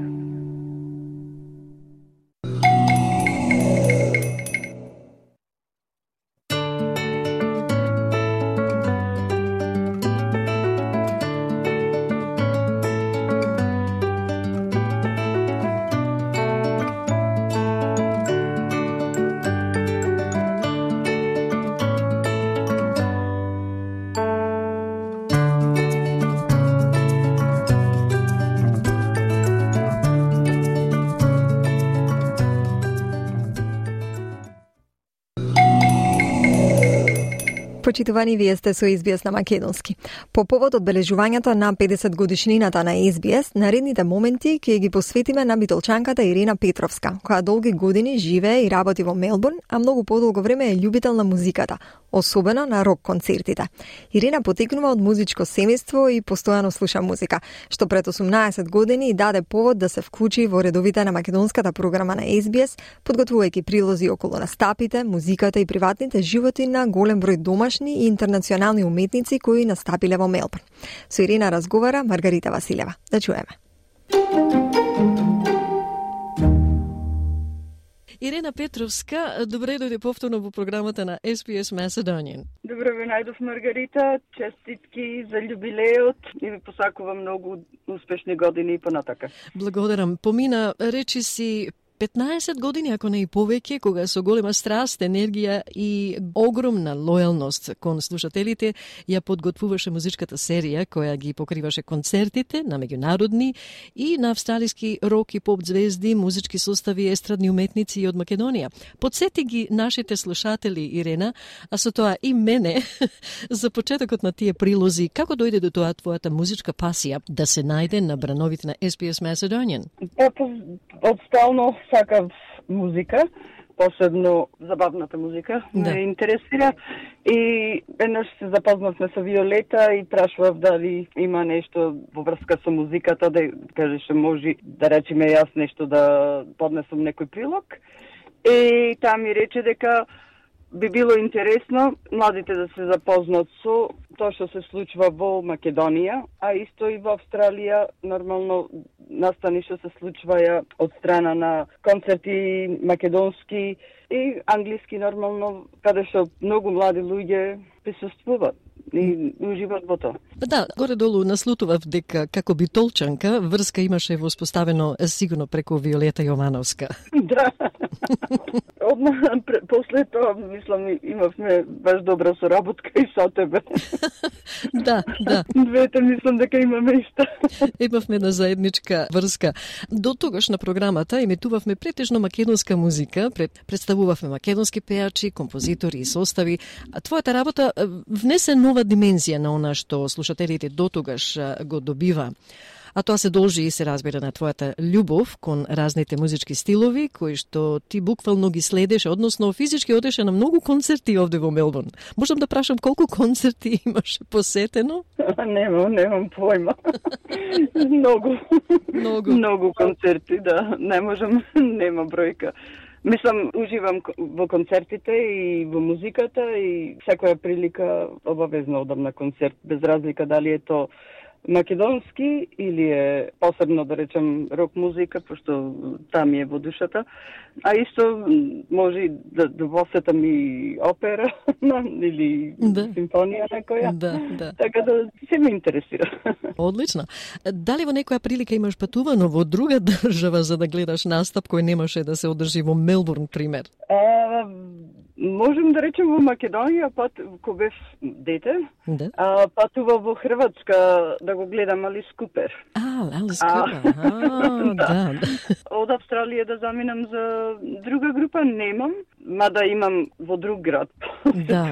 Почитувани, вие сте со SBS на македонски. По повод одбележувањето на 50 годишнината на SBS, наредните моменти ќе ги посветиме на битолчанката Ирина Петровска, која долги години живее и работи во Мелбурн, а многу подолго време е љубител на музиката, особено на рок концертите. Ирина потекнува од музичко семејство и постојано слуша музика, што пред 18 години и даде повод да се вклучи во редовите на македонската програма на SBS, подготвувајќи прилози околу настапите, музиката и приватните животи на голем број домашни и интернационални уметници кои настапиле во Мелбурн. Со Ирина разговара Маргарита Василева. Да чуеме. Ирина Петровска, добре дојде повторно во програмата на SBS Macedonian. Добре ве најдов, Маргарита. Честитки за јубилеот и ви посакувам многу успешни години и понатака. Благодарам. Помина, речи си, 15 години, ако не и повеќе, кога со голема страст, енергија и огромна лојалност кон слушателите ја подготвуваше музичката серија која ги покриваше концертите на меѓународни и на австралиски рок и поп звезди, музички состави, естрадни уметници од Македонија. Подсети ги нашите слушатели, Ирена, а со тоа и мене, за почетокот на тие прилози, како дојде до тоа твојата музичка пасија да се најде на брановите на SBS Macedonian? Одстално сакав музика, посебно забавната музика, ме интересира и еднаш се запознавме со Виолета и прашував дали има нешто во врска со музиката, да кажеше може да речеме јас нешто да поднесам некој прилог. И таа ми рече дека би било интересно младите да се запознат со тоа што се случува во Македонија, а исто и во Австралија, нормално настани што се случваја од страна на концерти македонски и англиски нормално, каде што многу млади луѓе присуствуваат. и уживат во тоа. Да, горе-долу наслутував дека како битолчанка врска имаше воспоставено сигурно преку Виолета Јовановска. Да. После тоа, мислам, имавме баш добра соработка и со тебе. Да. Двете мислам дека имаме иста. Имавме една заедничка врска. До тогаш на програмата емитувавме претежно македонска музика, представувавме македонски пејачи, композитори и состави. А твојата работа внесе нова димензија на она што слушателите до тогаш го добива. А тоа се должи и се разбира на твојата љубов кон разните музички стилови, кои што ти буквално ги следеше, односно физички одеше на многу концерти овде во Мелбурн. Можам да прашам колку концерти имаш посетено? Немам појма. Многу концерти, да. Не можам, нема бројка. Мислам, уживам во концертите и во музиката и секоја прилика обавезно одам на концерт, без разлика дали е то македонски или е посебно, да речем, рок музика, пошто таа ми е во душата. А исто може да посетам и опера или симфонија некоја. Да. Така да се ме интересира. Одлично. Дали во некоја прилика имаш патувано во друга држава за да гледаш настап кој немаше да се одржи во Мелбурн, пример? Можем да речем во Македонија, кога бев дете, патува во Хрватска да го гледам Алис Купер. Алис Купер, да. Од Австралија да заминам за друга група немам, мада имам во друг град. Да,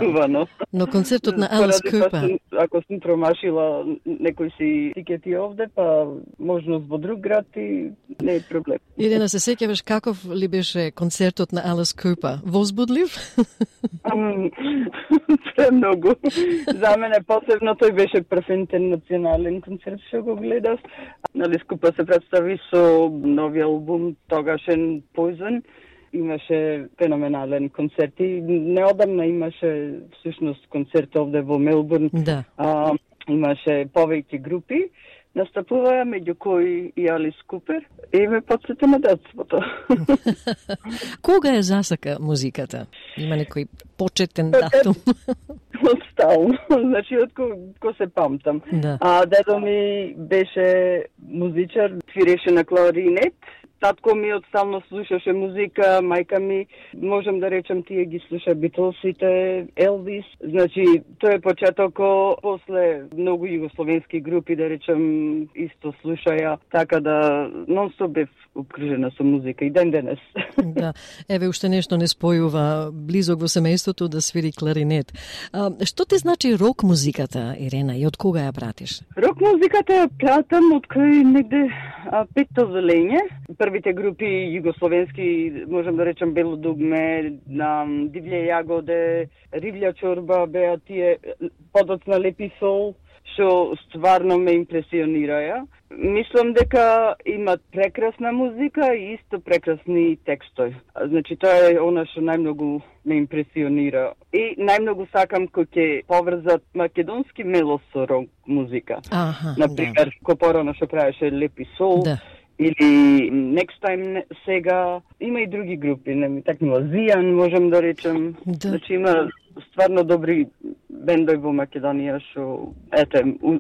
но концертот на Алис Купер. Ако сум промашила некои си тикети овде, па можност во друг град и не е проблем. Ирена, се сеќаваш каков ли беше концертот на Алис Купер? Возбудлив? Премногу. За мене посебно тој беше прв интернационален концерт што го гледав. Алис Купер се представи со нови албум тогашен Poison. Имаше феноменален концерт и неодамна имаше всушност концерт овде во Мелбурн. Да. Имаше повеќе групи. Настапуваа меѓу кои и Алис Купер и ме подсети на детството. Кога е засака музиката? Има некој почетен датум? Стално. Значи, од ко се памтам. Да. Дедо ми беше музичар, свиреше на кларинет. Татко ми одстално слушаше музика, мајка ми, можем да речем, тие ги слуша Битлсите, Елвис. Значи, тој е почетокот, после многу југословенски групи, да речем, исто слушаја, така да нон-стоп бев обкружена со музика и ден денес. Да, еве уште нешто не спојува близок во семејството да свири кларинет. Што ти значи рок музиката, Ирена, и од кога ја пратиш? Рок музиката ја пратам од кој негде петто зелење. Првите групи југословенски, можем да речем Бело дугме, Дивље јагоде, Ривља чорба, беа тие подоцна Лепи сол, што стварно ме импресионираја. Мислам дека имат прекрасна музика и исто прекрасни текстови. Значи, тоа е она што најмногу ме импресионира. И најмногу сакам кој ќе поврзат македонски мелос со рок музика. Например, кој порано што правеше Лепи сол, или Next Time сега, има и други групи, не ми такнува Зијан, можем да речем. Значи има стварно добри бендови во Македонија што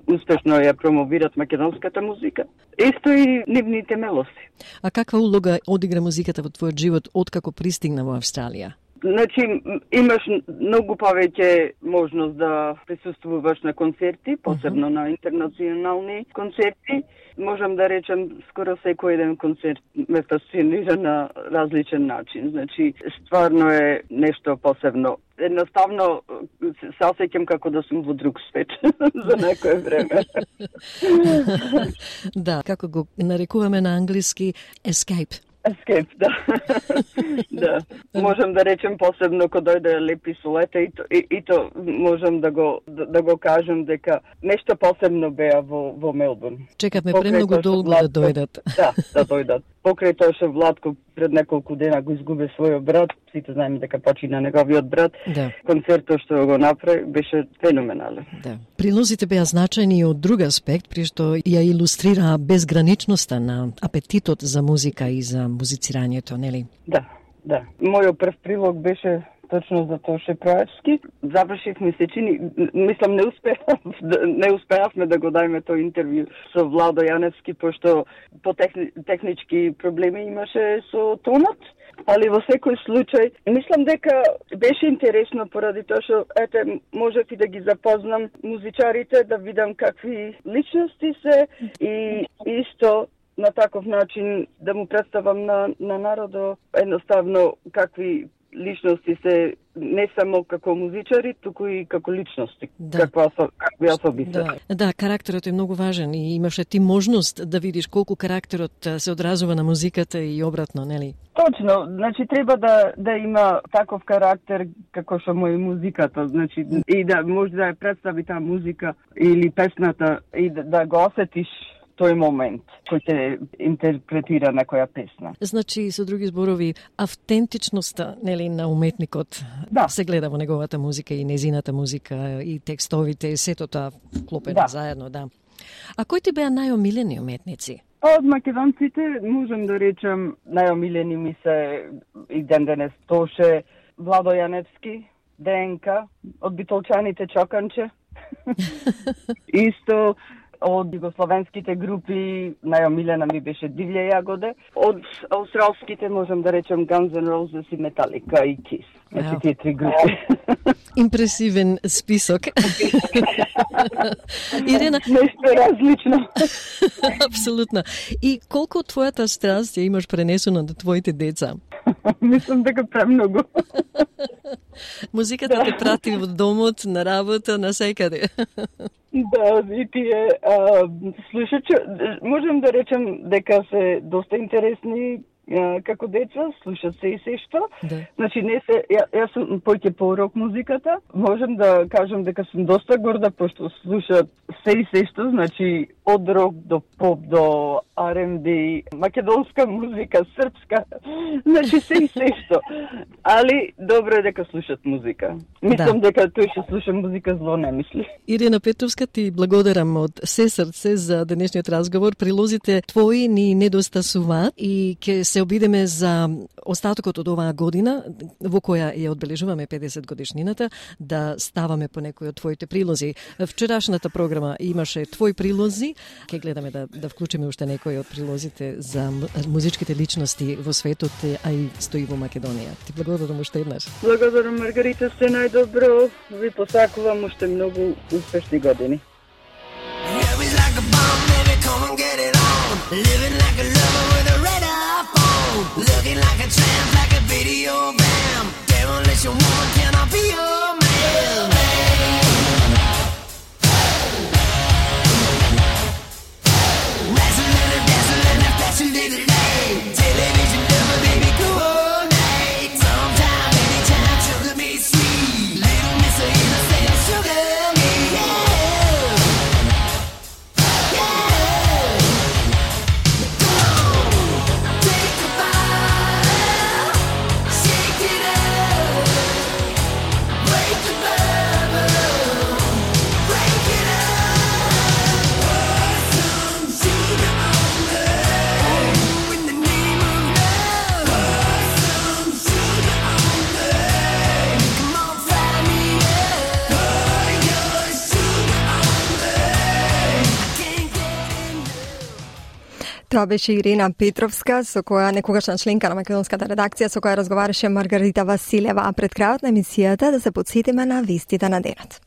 успешно ја промовират македонската музика. Исто и нивните мелоси. А каква улога одигра музиката во твојот живот откако пристигна во Австралија? Значи, имаш многу повеќе можност да присуствуваш на концерти, посебно на интернационални концерти. Можам да речем, скоро секој еден концерт ме фасцинира на различен начин. Значи, стварно е нешто посебно. Едноставно се осеќам како да сум во друг свет за некое време. Да, како го нарекуваме на англиски escape. Escape, да. Да. Можам да речем посебно кога дојде Лепи солета и то можам да го кажам дека нешто посебно беа во Мелбурн. Чекавме премногу долго да дојдат. Да дојдат. Покрај тоа што Владко пред неколку дена го изгуби својот брат, сите знаеме дека почина неговиот брат. Да. Концертот што го направи беше феноменален. Да. Прилозите беа значајни и од друг аспект, при што ја илустрираа безграничноста на апетитот за музика и за музицирањето, нели? Да. Мојот прв прилог беше точно за Тоше Проевски. Завршив месечини, мислам не успеавме да го дајме тој интервју со Владо Јаневски, пошто по технички проблеми имаше со тонот. Али во секој случај, мислам дека беше интересно поради тоа што можев и да ги запознам музичарите, да видам какви личности се и исто на таков начин да му представам на народот едноставно какви личности се, не само како музичари, туку и како личности, какви особи се. Да, карактерот е многу важен и имаше ти можност да видиш колку карактерот се одразува на музиката и обратно, нели? Точно, значи треба да има таков карактер како што му е музиката, значи и да може да ја представи таа музика или песната и да го осетиш тој момент кој те интерпретира некоја песна. Значи, со други зборови, автентичноста, нели, на уметникот се гледа во неговата музика и незината музика и текстовите, сето тоа вклопено заедно, да. А кои ти беа најомилени уметници? Од македонците можам да речем најомилени ми се и ден денес Тоше, Владо Јаневски, ДНК, од битолчаните Чоканче. Исто од југословенските групи најомилена ми беше Дивља Јагоде. Од аустралските можам да речем Guns N' Roses и Metallica и Kiss. Значи тие три групи. Импресивен список. Ирена, нешто различно. Апсолутно. И колку од твојата страст ја имаш пренесено на твоите деца? Мислам дека премногу. Музиката те прати во домот, на работа, на секаде. Да, и тие слушачи, можем да речем дека се доста интересни како деца, слушат се и се што. Да. Значи, не се, јас сум поќе по рок музиката, можем да кажем дека сум доста горда, пошто слушат се и се што, значи, од рок до поп, до R&B, македонска музика, српска, значи се и се што. Али, добро е дека слушат музика. Мислам дека тој што слуша музика зло не мисли. Ирена Петровска, ти благодарам од се срце за денешниот разговор. Прилозите твои ни недостасуваат и ќе се обидеме за остатокот од оваа година, во која ја одбележуваме 50 годишнината, да ставаме по некои од твоите прилози. Вчерашната програма имаше твои прилози, ќе гледаме да вклучиме уште некои од прилозите за музичките личности во светот, а и стои во Македонија. Ти благодарам уште еднаш. Благодарам, Маргарита, се најдобро. Ви посакувам уште многу успешни години. Looking like a tramp, like a video vamp. Demolition woman, can I be your man? Dazzling, fashion little day. Television never made me coordinate. Sometime, anytime, sugar me sweet. Little miss of innocent, sugar me, yeah. Тоа беше Ирена Петровска, со која некогашна членка на македонската редакција, со која разговараше Маргарита Василева. А пред крајот на емисијата да се потсетиме на вестите на денот.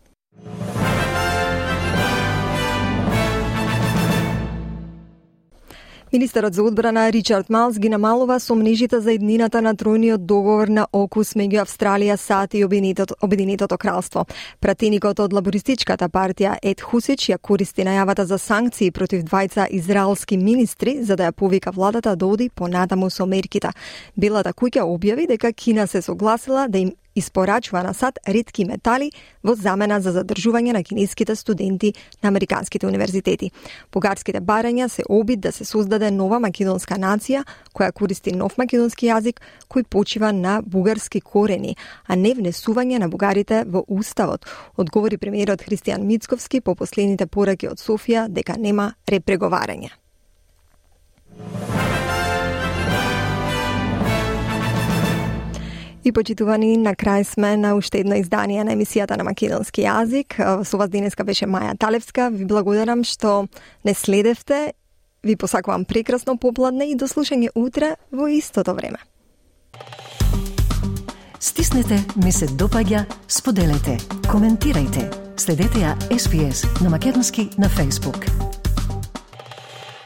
Министерот за одбрана Ричард Малс ги намалува сомнежите за иднината на тројниот договор на ОКУС меѓу Австралија, САД и Обединетото кралство. Пратеникот од лабористичката партија Ед Хусич ја користи најавата за санкции против двајца израелски министри за да ја повика владата да оди понатаму со мерките. Белата куќа објави дека Кина се согласила да им испорачува на САД ретки метали во замена за задржување на кинеските студенти на американските универзитети. Бугарските барања се обид да се создаде нова македонска нација која користи нов македонски јазик кој почива на бугарски корени, а не внесување на бугарите во уставот, одговори премиерот Христијан Мицковски по последните пораки од Софија дека нема репреговарање. И почитувани, на крај сме на уште едно издание на емисијата на македонски јазик. Со вас денеска беше Маја Талевска. Ви благодарам што не следевте. Ви посакувам прекрасно попладне и до слушање утре во истото време. Стиснете, ми се допаѓа, споделете, коментирајте. Следете ја SPS на македонски на Facebook.